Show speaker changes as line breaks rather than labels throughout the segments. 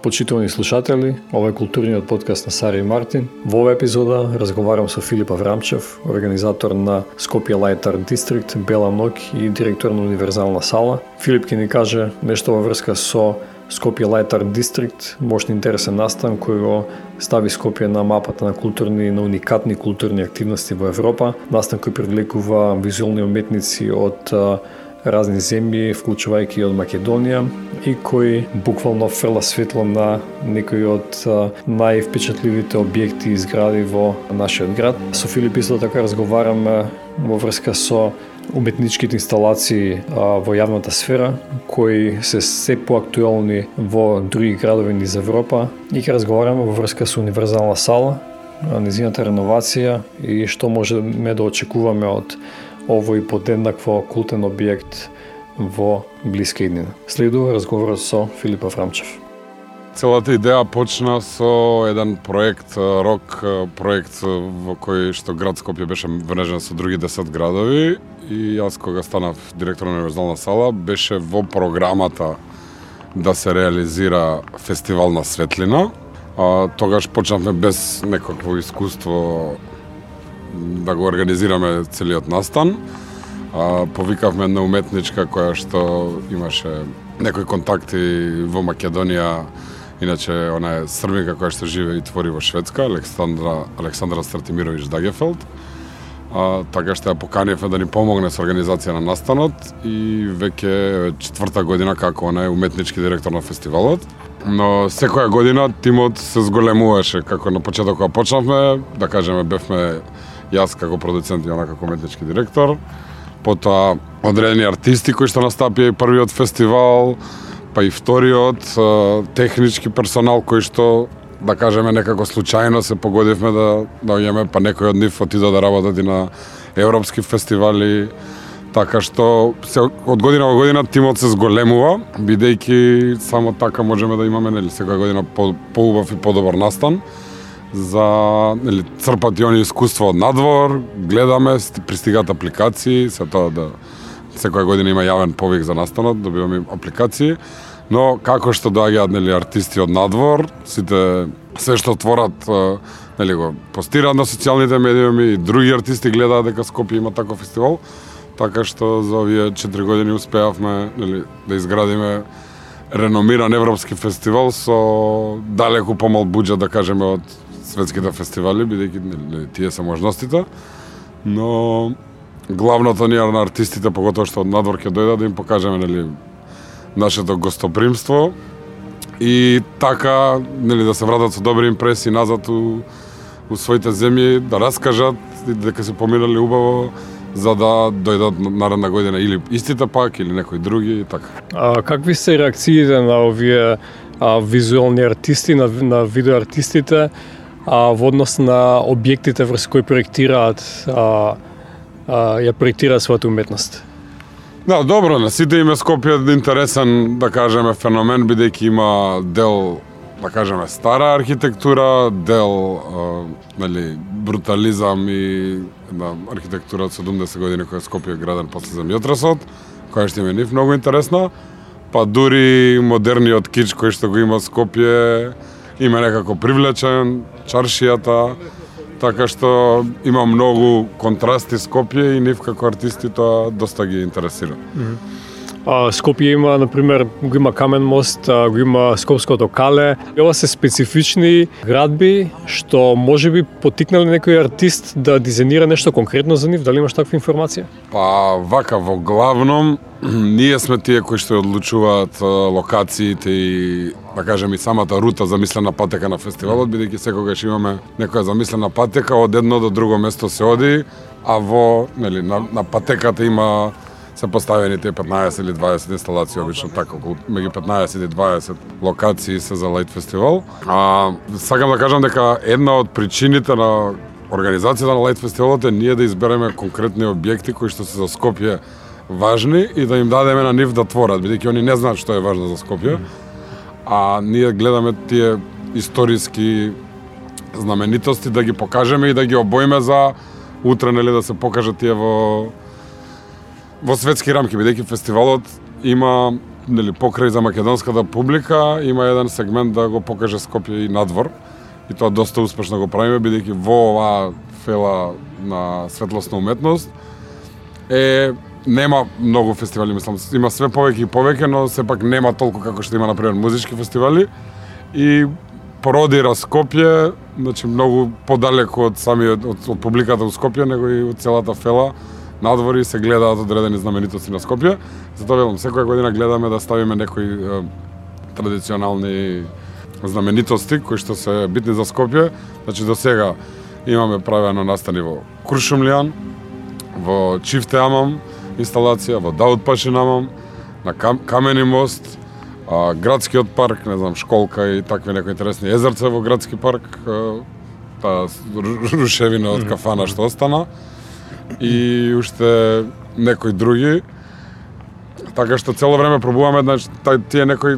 Почитувани слушатели, ова е културниот подкаст на Сара и Мартин. Во оваа епизода разговарам со Филип Аврамчев, организатор на Скопје Light Art District, Бела ноќ и директор на Универзална сала. Филип ќе ни каже нешто во врска со Скопје Light Art District, мощно интересен настан кој го стави Скопје на мапата на уникатни културни активности во Европа. Настан кој привлекува визуелни уметници од разни земји, вклучувајќи од Македонија, и кој буквално фрла светло на некои од највпечатливите објекти и згради во нашиот град. Со Филип исто така разговараме во врска со уметничките инсталации во јавната сфера, кои се поактуелни во други градови низ Европа, и ќе разговараме во врска со Универзална сала, низината реновација и што можеме да очекуваме од овој подеднакво култен објект во блиска иднина. Следува разговорот со Филип Аврамчев.
Целата идеја почна со еден проект, рок проект во кој што град Скопје беше врежен со други 10 градови, и јас кога станав директор на Универзална сала беше во програмата да се реализира фестивал на светлина. Тогаш почнавме без некакво искуство да го организираме целиот настан. Повикавме една уметничка која што имаше некои контакти во Македонија, иначе она е србинка која што живее и твори во Шведска, Александра Стратимирович Дагефелд. Така што ја поканивме да ни помогне со организација на настанот, и веќе 4-та година како она е уметнички директор на фестивалот. Но секоја година тимот се зголемуваше, како на почеток кога почнавме, да кажеме бевме јас како продуцент и она како уметнички директор, потоа одредени артисти кои што настапија и првиот фестивал, па и вториот, технички персонал кој што, да кажеме, некако случајно се погодивме да дојдеме, па некои од нив отидоа да работат и на европски фестивали, така што од година во година тимот се зголемува, бидејќи само така можеме да имаме секоја година поубав и подобар настан, за црпат и они искуство од надвор, гледаме, пристигат апликации, се тоа да секоја година има јавен повик за настанот, добиваме апликации, но како што доаѓаат артисти од надвор, сите се што творат го постираат на социјалните медиуми, и други артисти гледаат дека Скопје има таков фестивал, така што за овие 4 години успеавме да изградиме реномиран европски фестивал со далеку помал буџет, да кажеме, од светските фестивали, бидејќи тие се можностите, но главното ние на артистите, поготоа што од надвор ќе дојдат, да им покажеме нашето гостопримство, и така да се вратат со добри импресии назад у своите земји, да раскажат дека се поминали убаво, за да дојдат наредна година или истите пак, или некои други, и така.
Какви се реакциите на овие визуелни артисти, на видеоартистите, во однос на објектите врз кои проектираат својата уметност?
Да, добро, на сите име Скопје интересен, да кажеме, феномен, бидејќи има дел, да кажеме, стара архитектура, дел брутализам и архитектура од 70 години која Скопје е граден после земјотресот, која што има нив многу интересна, па дури модерниот кич кој што го има Скопје има некако привлечен, чаршијата, така што има многу контрасти Скопје, и нив како артисти тоа доста ги интересира.
Скопје има, например, го има Камен мост, го има Скопското кале. Ова се специфични градби што можеби потикнале некој артист да дизајнира нешто конкретно за нив, дали имаш таква информација?
Па вака, во главном ние сме тие кои што одлучуваат локациите и, да кажем, и самата рута замислена патека на фестивалот, бидејќи секогаш имаме некоја замислена патека, од едно до друго место се оди, а во на патеката има се поставени тие 15 или 20 инсталации, обично така, меѓу 15 и 20 локации се за Light фестивал. Сакам да кажам дека една од причините на организацијата на Light фестивалот е ние да избереме конкретни објекти кои што се за Скопје важни и да им дадеме на нив да творат, бидејќи они не знаат што е важно за Скопје, а ние гледаме тие историски знаменитости да ги покажеме и да ги обоиме за утре, да се покажат тие во светски рамки, бидејќи фестивалот има покрај за македонската публика има еден сегмент да го покаже Скопје и надвор. И тоа доста успешно го правиме, бидејќи во оваа фела на светлосна уметност нема многу фестивали, мислам, има све повеќе и повеќе, но сепак нема толку како што има, например, музички фестивали. И породира Скопје, значи многу подалеку од од публиката у Скопје, него и од целата фела надвори се гледаат одредени знаменитости на Скопје. Затоа велам, секоја година гледаме да ставиме некои традиционални знаменитости кои што се битни за Скопје. Значи до сега имаме правено настани во Куршумлијан, во Чифте Амам инсталација, во Даут Пашин Амам, на Камени мост, градскиот парк, не знам, школка и такви некои интересни езерца во градски парк, таа рушевина од кафана што остана и уште некои други. Така што цело време пробуваме, значи, тие некои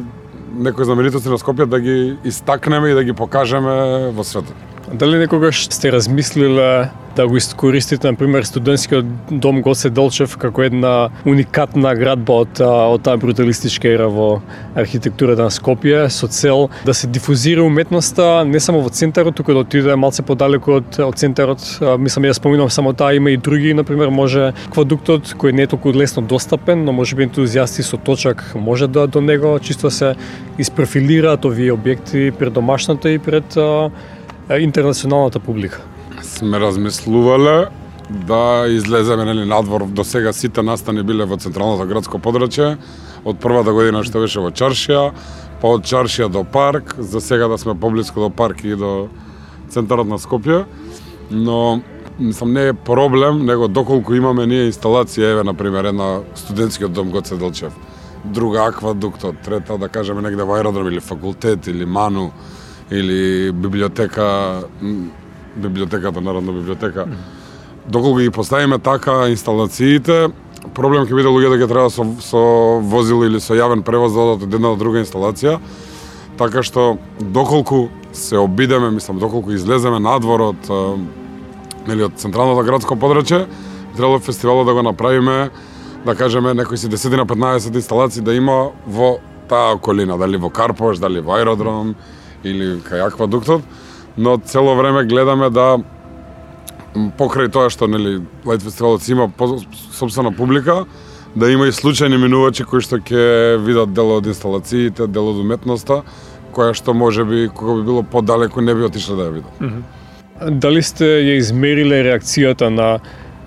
знаменитости на Скопје да ги истакнеме и да ги покажеме во светот.
Дали некогаш сте размислиле да го искористите, например, студентскиот дом Гоце Делчев како една уникатна градба од таа бруталистичка ера во архитектурата на Скопје, со цел да се дифузира уметноста не само во центарот, туку да отиде малце подалеку од центарот. Мислам, ја споминам само таа, има и други, например, може аквадуктот кој не е толку лесно достапен, но може би ентузијасти со точак може да до него чисто се испрофилираат овие објекти пред домашната и пред интернационалната публика.
Сме размислувале да излеземе надвор. До сега сите настани биле во централното градско подрачје. Од првата година што беше во Чаршија, па од Чаршија до парк, за сега да сме поблиску до парк и до центарот на Скопје. Но мислам не е проблем, него доколку имаме ние инсталација, еве например една студентскиот дом Гоце Делчев, друга аквадуктот, трета да кажеме негде во аеродром или факултет или Ману или библиотеката, Народна библиотека. Доколку ги поставиме така инсталациите, проблем ќе биде луѓето ќе треба со возило или со јавен превоз да одат од една до друга инсталација. Така што доколку се обидеме, мислам, доколку излеземе надвор од централното градско подрачје, требало фестивалот да го направиме, да кажеме, некои си 10-15 инсталации да има во таа околина, дали во Карпош, дали во аеродром или кај аквадуктот, но цело време гледаме да покрај тоа што Лајт фестивалот има сопствена публика, да има и случајни минувачи кои што ќе видат дел од инсталациите, дел од уметноста, која што можеби кога би било подалеку не би отишле да ја видат.
Дали сте ја измериле реакцијата на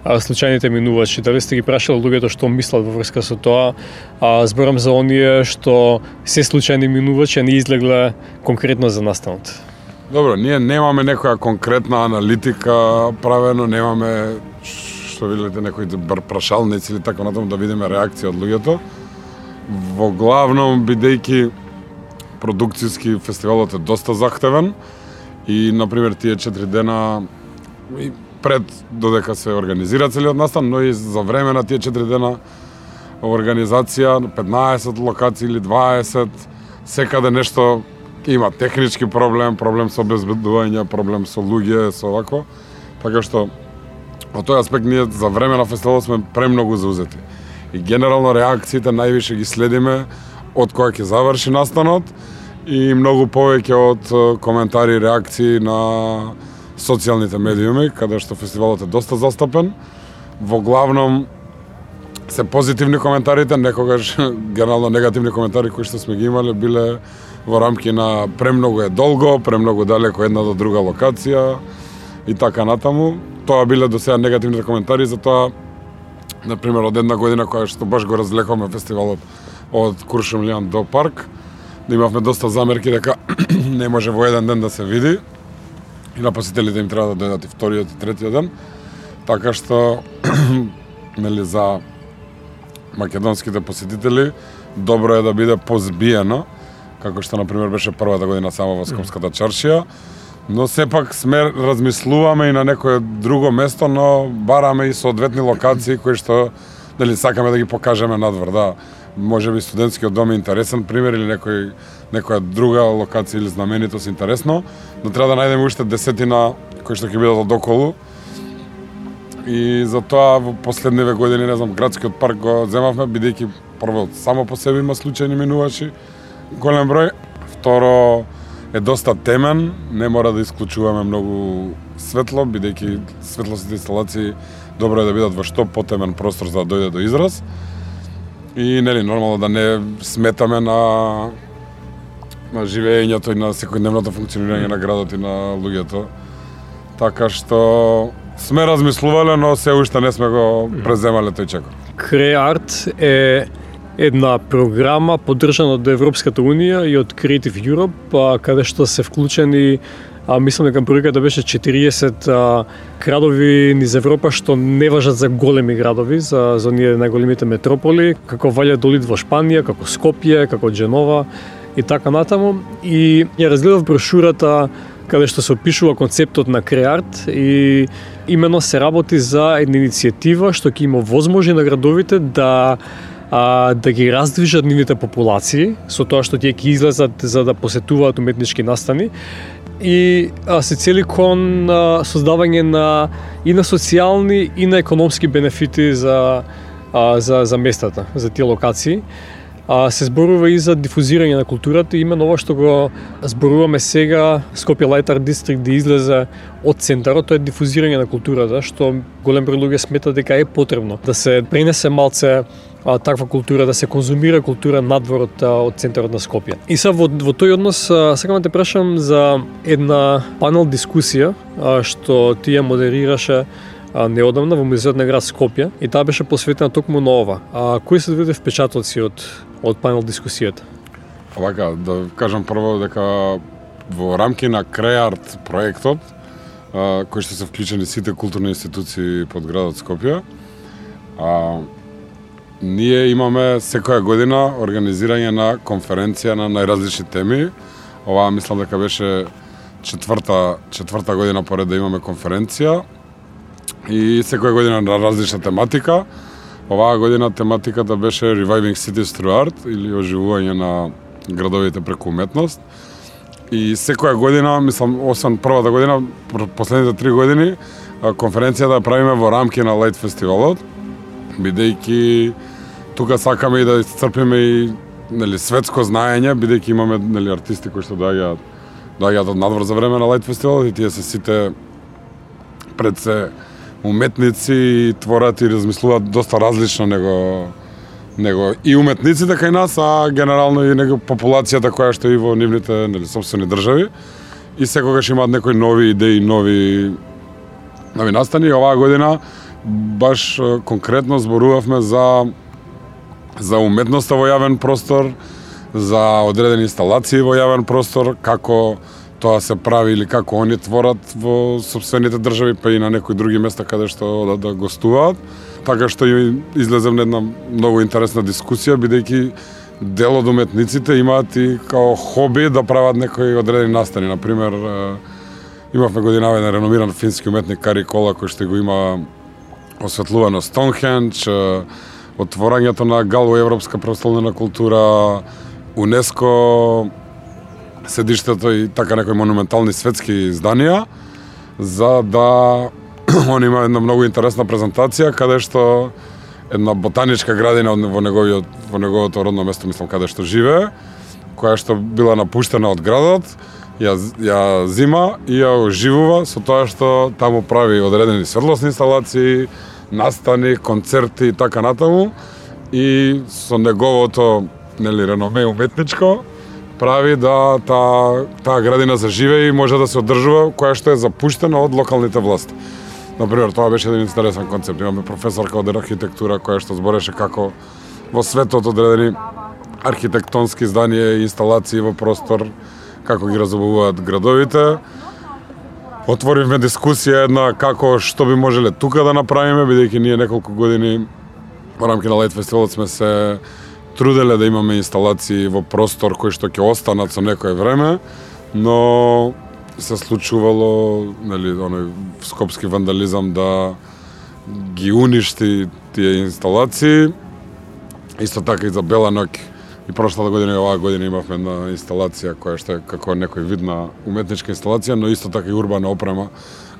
случајните минувачи? Дали сте ги прашале луѓето што мислат во врска со тоа? Зборам за оние што се случајни минувачи, а не излегле конкретно за настанот.
Добро, ние немаме некоја конкретна аналитика правено, немаме што видите некои прашалници или така натаму да видиме реакција од луѓето. Во главном бидејќи продукцијски фестивалот е доста захтевен и например тие 4 дена и пред додека се организира целиот настан, но и за време на тие 4 дена организација 15 локации или 20 секаде нешто има технички проблем со обезбедување, проблем со луѓе, со вако. Така што во тој аспект ние за време на фестивалот сме премногу заузети. И генерално реакциите највише ги следиме од кога ќе заврши настанот и многу повеќе од коментари и реакции на социјалните медиуми, каде што фестивалот е доста застапен. Во главном се позитивни коментарите, некогаш генерално негативни коментари кои што сме ги имале биле во рамки на премногу е долго, премногу далеко една до друга локација и така натаму. Тоа биле до сега негативните коментари, затоа например од една година која што баш го разлековме фестивалот од Куршумлијан до парк, да имавме доста замерки дека не може во еден ден да се види и на посетителите им треба да дојдат и вториот и третиот ден. Така што за македонските посетители добро е да биде позбиено, како што например беше првата година само во Скопската Чаршија, но сепак сме размислуваме и на некое друго место, но бараме и соодветни локации кои што сакаме да ги покажеме надвор, да. Може би студентскиот дом е интересен пример или некоја друга локација или знаменитост интересно, но треба да најдеме уште 10 кои што ќе бидат одоколу. И затоа во последниве години, не знам, градскиот парк го земавме, бидејќи прво само по себе има случајни минувачи, голем број. Второ е доста темен, не мора да исклучуваме многу светло, бидејќи светлосните инсталации добро е да бидат во што потемен простор за да дојде до израз. И нели нормално да не сметаме на живеењето и на секојдневното функционирање на градот и на луѓето. Така што сме размислувале, но се уште не сме го преземале тој чекор.
Креарт е една програма поддржана од Европската Унија и од Creative Europe, каде што се вклучени, мислам дека бројката беше 40 градови низ Европа што не важат за големи градови, за оние најголемите метрополи, како Ваљадолид во Шпанија, како Скопје, како Џенова и така натаму. И ја разгледав брошурата каде што се опишува концептот на Креарт и именно се работи за една иницијатива што ќе има возможност на градовите да ги раздвижат нивните популации со тоа што тие ќе излезат за да посетуваат уметнички настани и се цели кон создавање на и на социјални и на економски бенефити за местата, за тие локации. Се зборува и за дифузирање на културата и именно ова што го зборуваме сега, Скопје Лајт Арт Дистрикт да излезе од центарот, тоа е дифузирање на културата, што голем број луѓе сметат дека е потребно да се пренесе малце таква култура, да се конзумира култура надвор од центарот на Скопје. И са во тој однос сакам да те прашам за една панел дискусија што ти ја модерираше неодамна во музеот на град Скопје и таа беше посветена токму на ова. Кои се твоите впечатоци од панел дискусијата?
Овака, да кажам прво дека во рамки на Креарт проектот, кој што се вклучени сите културни институции под градот Скопје, ние имаме секоја година организирање на конференција на најразлични теми. Ова мислам дека беше четврта година поред да имаме конференција и секоја година на различна тематика. Оваа година тематиката беше Reviving Cities Through Art или оживување на градовите преку уметност. И секоја година, мислам, освен првата година, последните 3 години, конференцијата правиме во рамки на Лајт фестивалот, бидејќи тука сакаме и да исцрпиме и светско знаење, бидејќи имаме артисти кои што доаѓаат од надвор за време на Лајт фестивалот и тие се сите пред се уметници и творат и размислуваат доста различно него и уметниците кај нас, а генерално и него популацијата која што е во нивните сопствени држави и секогаш имаат некои нови идеи, нови настани. Оваа година баш конкретно зборувавме за уметноста во јавен простор, за одредени инсталации во јавен простор, како тоа се прави или како они творат во сопствените држави, па и на некои други места каде што да гостуваат. Така што излезе една многу интересна дискусија, бидејќи дел од уметниците имаат и као хоби да прават некои одредени настани. Например, имавме годинава еден реномиран фински уметник Кари Кола, кој што го има осветлувано Стоунхендж, отворањето на ГАЛ во Европска престолнина култура, УНЕСКО, седиштето и така некои монументални светски изданија, за да он има една многу интересна презентација каде што една ботаничка градина во неговото родно место, мислам, каде што живее, која што била напуштена од градот, ја зима и ја оживува со тоа што таму прави одредени светлосни инсталации, настани, концерти и така натаму, и со неговото реноме уметничко прави да таа градина заживее и може да се одржува, која што е запуштена од локалните власти. Например, тоа беше еден интересен концепт. Имаме професорка од архитектура која што збореше како во светот одредени архитектонски зданија и инсталации во простор, како ги разобувуваат градовите. Отворивме дискусија една како што би можеле тука да направиме, бидејќи ние неколку години во рамки на Лајт фестивалот сме се труделе да имаме инсталации во простор кои што ќе останат со некое време, но се случувало оној скопски вандализам да ги уништи тие инсталации. Исто така и за Бела ноќ и прошлата година и оваа година имавме една инсталација која што е како некој вид на уметничка инсталација, но исто така и урбана опрема,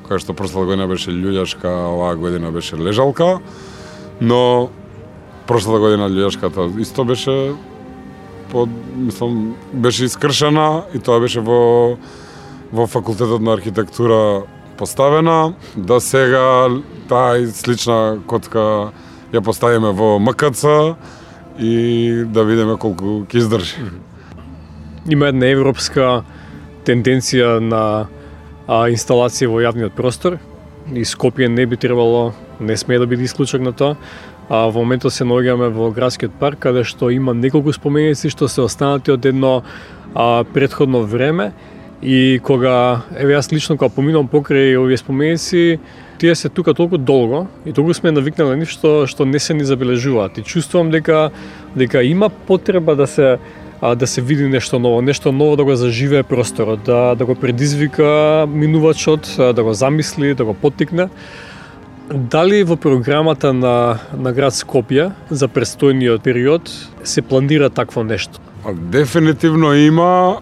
која што прошлата година беше љуѓашка, оваа година беше лежалка. Но прошлата година луѓешката исто беше беше искршена и тоа беше во факултетот на архитектура поставена, да сега таа слична котка ја поставиме во МКЦ и да видиме колку ќе издржи.
Има една европска тенденција на инсталација во јавниот простор и Скопје не би требало, не смее да биде исклучок на тоа. Во моментот се наоѓаме во градскиот парк, каде што има неколку споменици што се останати од едно претходно време и кога, јас лично кога поминувам покрај овие споменици, тие се тука толку долго и толку сме навикнали на нив што не се ни забележуваат и чувствувам дека има потреба да се види нешто ново да го заживее просторот, да го предизвика минувачот, да го замисли, да го поттикне. Дали во програмата на град Скопје за престојниот период се планира такво нешто?
Дефинитивно има,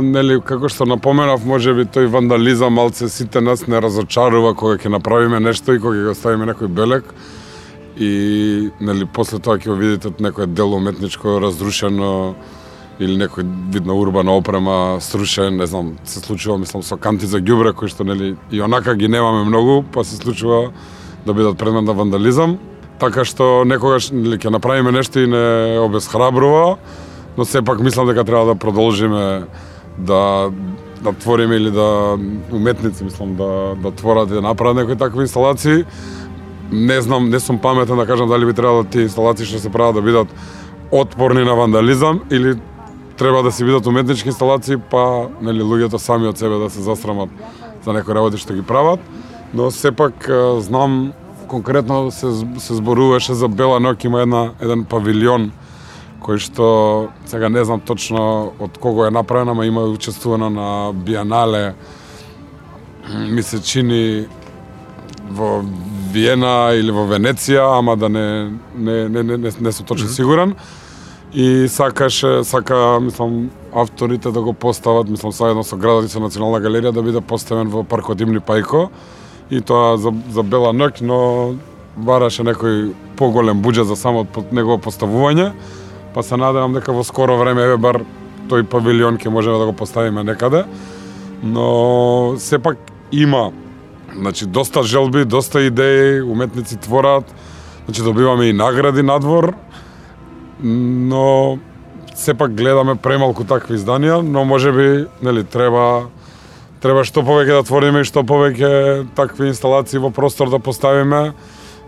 нели како што напоменав, можеби тој вандализам малце сите нас не разочарува кога ќе направиме нешто и кога ќе го ставиме некој белег и нели после тоа ќе го видите некој дело уметничко разрушено или некој вид на урбана опрема срушен, не знам, се случува мислам со канти за ѓубре кои што нели и онака ги немаме многу, па се случува да бидат предмет на вандализам. Така што некогаш нели ќе направиме нешто и не обесхрабрува, но сепак мислам дека треба да продолжиме да твориме или да уметници мислам да творат и да направат некои такви инсталации. Не знам, не сум паметен да кажам дали би требало тие инсталации што се прават да бидат отпорни на вандализам или треба да се бидат уметнички инсталации, па нели луѓето сами од себе да се засрамат за некои работи што ги прават, но сепак знам конкретно се зборуваше за Бела ноќ, има еден павилион кој што сега не знам точно од кого е направена, ама има учествувано на Биенале, ми се чини во Виена или во Венеција, ама да не сум точно сигурен. И сака мислам авторите да го постават, мислам заедно со градот и со Национална галерија да биде поставен во паркот Имни Пајко и тоа за Бела ноќ, но бараше некој поголем буџет за само негово поставување, па се надевам дека во скоро време бар тој павилион ќе можеме да го поставиме некаде, но сепак има значи доста желби, доста идеи, уметници творат, значи добиваме и награди надвор, но сепак гледаме премалку такви изданија, но можеби нели треба што повеќе да твориме и што повеќе такви инсталации во простор да поставиме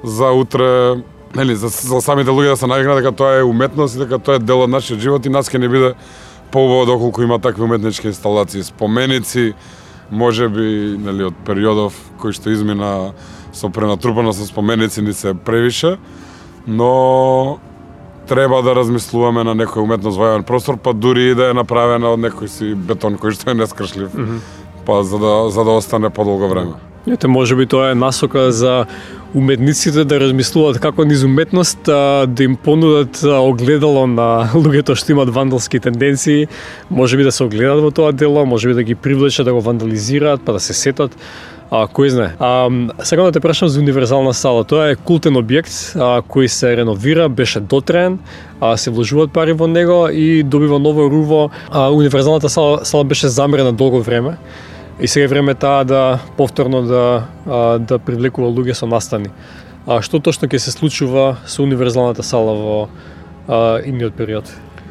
за утре, нели за самите луѓе да се навикнат дека тоа е уметност и дека тоа е дел од нашиот живот и нас ќе не биде поубаво доколку има такви уметнички инсталации, споменици, можеби нели од периодов кои што измина со пренатрупано со споменици ни се превише, но треба да размислуваме на некој уметност во јавен простор, па дури и да е направена од некој си бетон кој што е нескршлив, па за да остане подолго време.
Ете, можеби тоа е насока за уметниците да размислуваат како низ уметност да им понудат огледало на луѓето што имаат вандалски тенденции, можеби да се огледат во тоа дело, можеби да ги привлечат да го вандализираат, па да се сетат. Кој знае. Сега да те прашам за универзална сала. Тоа е култен објект кој се реновира, беше дотраен, се вложуваат пари во него и добива ново руво. Универзалната сала беше замрена долго време и сега е време таа да повторно да привлекува луѓе со настани. Што точно ќе се случува со универзалната сала во идниот период?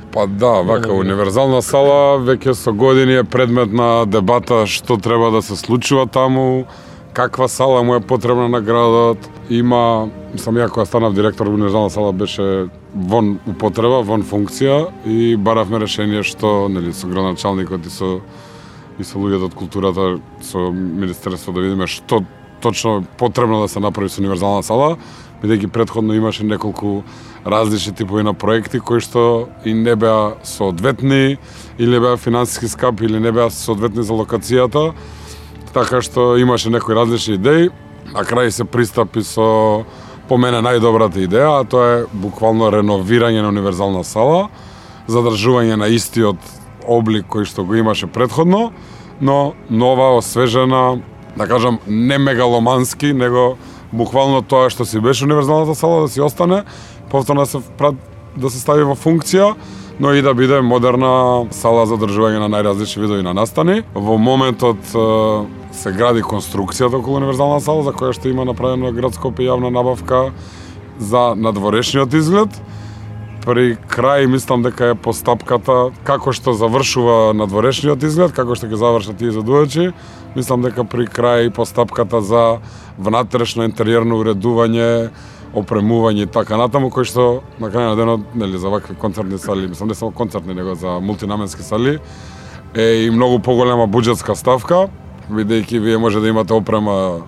Па да, вака, универзална сала веќе со години е предмет на дебата што треба да се случува таму, каква сала му е потребна на градот. Има, ја кога станав директор универзална сала беше вон употреба, вон функција и баравме решение што нели со градоначалникот и со луѓето од културата, со министерство да видиме што точно потребно да се направи со универзална сала, бидејќи претходно имаше неколку различни типови на проекти кои што и не беа соодветни или беа финансиски скапи или не беа соодветни за локацијата, така што имаше некои различни идеи. На крај се пристапи со по мене најдобрата идеја, а тоа е буквално реновирање на универзална сала, задржување на истиот облик кој што го имаше претходно, но нова, освежена, да кажам, не мегаломански, него буквално тоа што си беше универзалната сала да си остане повторно да се стави во функција, но и да биде модерна сала за одржување на најразлични видови на настани. Во моментот се гради конструкцијата околу универзална сала, за која што има направено град Скопје јавна набавка за надворешниот изглед. При крај мислам дека е постапката како што завршува надворешниот изглед, како што ќе завршат тие задувачи. Мислам дека при крај постапката за внатрешно интериерно уредување, опремување и така натаму, кој што на крај на денот, нели, за вакви концертни сали, мислам не само концертни, него за мултинаменски сали, е и многу поголема буџетска ставка, бидејќи вие може да имате опрема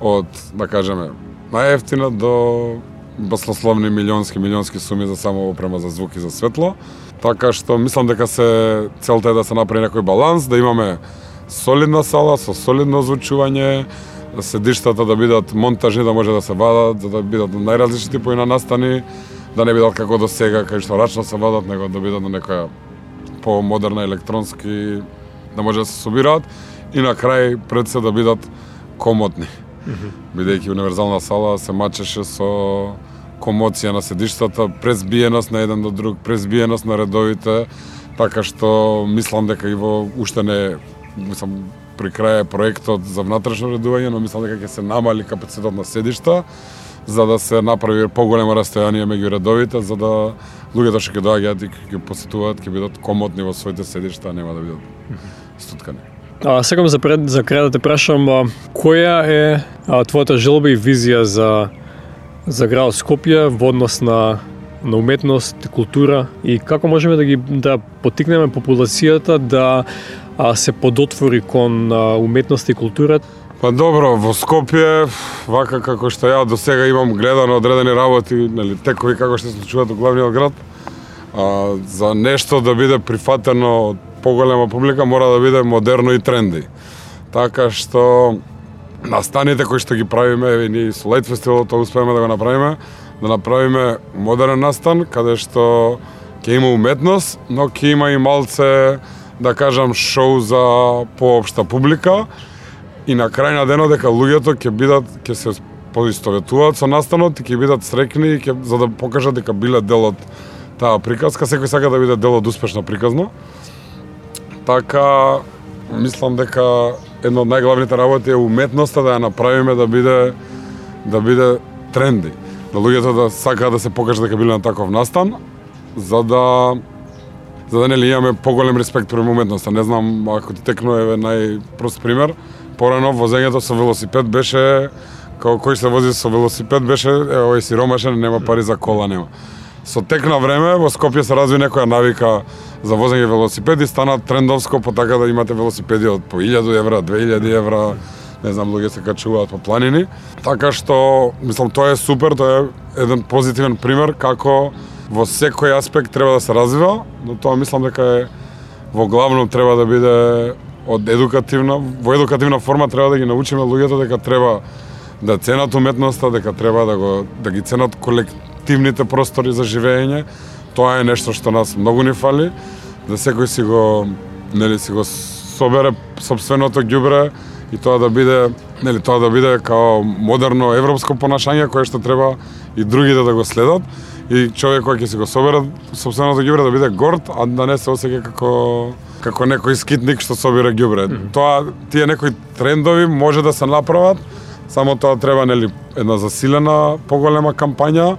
од, да кажеме, најефтина до баснословни милионски суми за само опрема за звук и за светло. Така што мислам дека целта е да се направи некој баланс, да имаме солидна сала со солидно озвучување, седиштата да бидат монтажни, да може да се вадат, да бидат најразлични типови на настани, да не бидат како до сега, кај што рачно се вадат, него да бидат на некоја помодерна електронски, да може да се собираат и на крај пред се да бидат комотни. Бидејќи универзална сала се мачеше со комоција на седиштата, презбиеност на еден до друг, презбиеност на редовите, така што мислам дека и во уште не, мислам, при крај проектот за внатрешно редување, но мислам дека ќе се намали капацитет на седишта, за да се направи поголемо растојание меѓу редовите, за да луѓето што ќе доаѓаат и ќе посетуваат, ќе бидат комотни во своите седишта, а нема да бидат стуткани.
Сакам за крај да те прашам, која е твојата желба и визија за градот Скопје во однос на уметност, култура и како можеме да поттикнеме популацијата да се подотвори кон уметност и култура?
Па добро, во Скопје, вака како што ја до сега имам гледано одредени работи, нели, текови како што се случуваат во главниот град, за нешто да биде прифатено од поголема публика мора да биде модерно и тренди. Така што настаните кои што ги правиме, ние со Лајт фестивалот тоа успееме да го направиме, да направиме модерен настан каде што ќе има уметност, но ќе има и малце, да кажам, шоу за поопшта публика и на крај на денот дека луѓето ќе се поистоветуваат со настанот и ќе бидат среќни за да покажат дека биле дел од таа приказка, секој сака да биде дел од успешна приказна. Така мислам дека една од најглавните работи е уметноста да ја направиме да биде тренди. Да луѓето да сакаат да се покажат дека биле на таков настан, за да нели имаме поголем респект према уметноста. Не знам, ако ти текно е најпрост пример, порано возењето со велосипед беше како кој се вози со велосипед беше овој сиромашен, нема пари за кола, нема. Со тек на време во Скопје се разви некоја навика за возење велосипед и стана трендовско по така да имате велосипеди од по 1000 евра, 2000 евра, не знам, луѓе се качуваат по планини. Така што, мислам, тоа е супер, тоа е еден позитивен пример како во секој аспект треба да се развива, но тоа мислам дека е во главно треба да биде во едукативна форма треба да ги научиме луѓето дека треба да ценат уметноста, дека треба да ги ценат колективните простори за живење. Тоа е нешто што нас многу ни фали, да секој си го собере сопственото ѓубре и тоа да биде као модерно европско понашање кое што треба и другите да го следат и човек кој ќе си го собере сопственото ѓубре да биде горд, а да не се осеќа како некој скитник што собира ѓубре. Тие некои трендови може да се направат, само тоа треба една засилена поголема кампања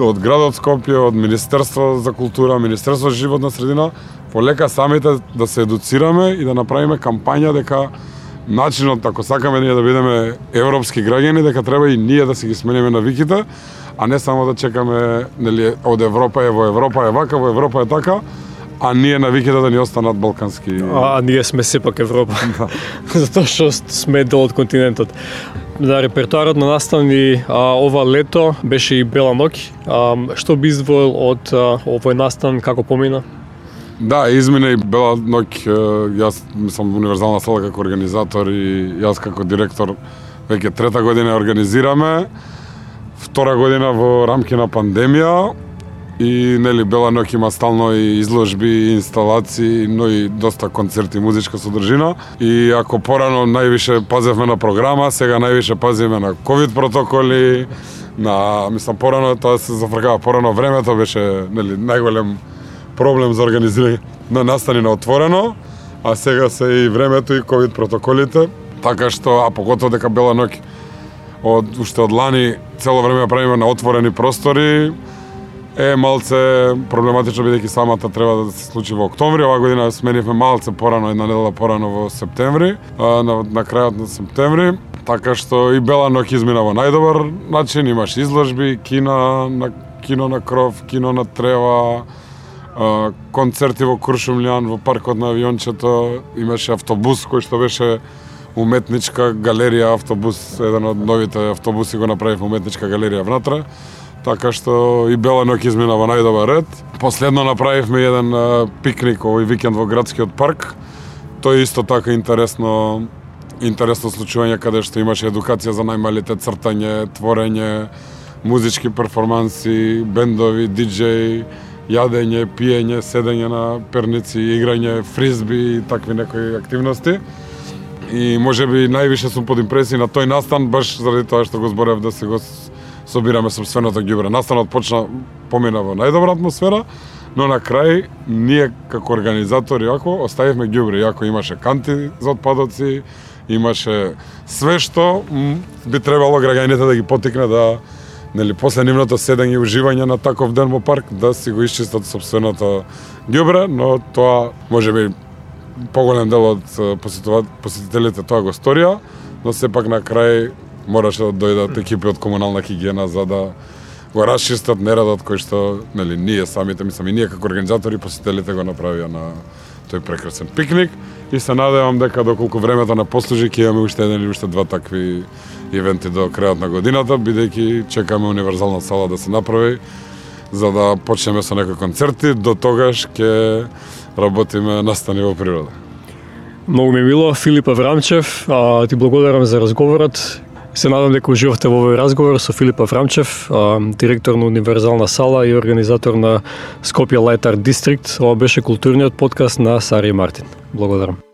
од градот Скопје, од Министерство за култура, Министерство за животна средина, полека самите да се едуцираме и да направиме кампања дека начинот, ако сакаме ние да бидеме европски граѓани, дека треба и ние да си ги смениме навиките, а не само да чекаме од Европа во Европа е вака, во Европа е така, а ние навиките да ни останат балкански.
А ние сме сепак Европа. Затоа што сме дел од континентот. Да, репертуарот на настани ова лето беше и Бела ноќ. Што би издвоил од овој настан, како помина?
Да, измина и Бела ноќ. Јас мислам универзална сала како организатор и јас како директор веќе трета година организираме. Втора година во рамки на пандемија. И Бела ноќ има стално и изложби, инсталации, но и доста концерти, музичка содржина. И ако порано највише пазевме на програма, сега највише пазиме на ковид протоколи, мислам порано тоа се зафркава порано времето беше нели најголем проблем за организирање на настани на отворено, а сега се и времето и ковид протоколите, така што поготово дека Бела ноќ уште од лани цело време правиме на отворени простори, е малце проблематично бидејќи самата треба да се случи во октомври. Оваа година сменивме малце порано, една недела порано во септември, на крајот на септември, така што и Бела ноќ измина во најдобар начин, имаше изложби, кино на кров, кино на трева, концерти во Куршумлијан, во паркот на авиончето, имаше автобус кој што беше уметничка галерија, автобус, еден од новите автобуси го направив уметничка галерија внатре. Така што и Бела ноќ измина во најдобар ред. Последно направивме еден пикник овој викенд во градскиот парк. Тој исто така интересно случување каде што имаше едукација за најмалите, цртање, творење, музички перформанси, бендови, диџеј, јадење, пиење, седење на перници, играње, фризби и такви некои активности. И можеби највише сум под импресија на тој настан баш заради тоа што го зборев да се го собираме сопственото ѓубре. Настанот помина во најдобра атмосфера, но на крај ние како организатори оставивме ѓубре, иако имаше канти за отпадоци, имаше све што би требало граѓаните да ги потикне да после нивното седење и уживање на таков ден во парк да си го исчистат сопственото ѓубре, но тоа можеби поголем дел од посетителите тоа го сторија, но сепак на крај мораше да дојдат екипи од комунална хигиена за да го расчистат нередот кој што ние самите, мислам и ние како организатори посетителите го направија на тој прекрасен пикник и се надевам дека доколку времето не послужи ќе имаме уште еден или уште два такви ивенти до крајот на годината, бидејќи чекаме универзална сала да се направи за да почнеме со некои концерти, до тогаш ќе работиме настани во природа.
Многу ми е мило, Филип Аврамчев, ти благодарам за разговорот. Се надам дека уживавте во овој разговор со Филип Аврамчев, директор на Универзална сала и организатор на Скопје Лајт Арт Дистрикт. Ова беше културниот подкаст на Сари и Мартин. Благодарам.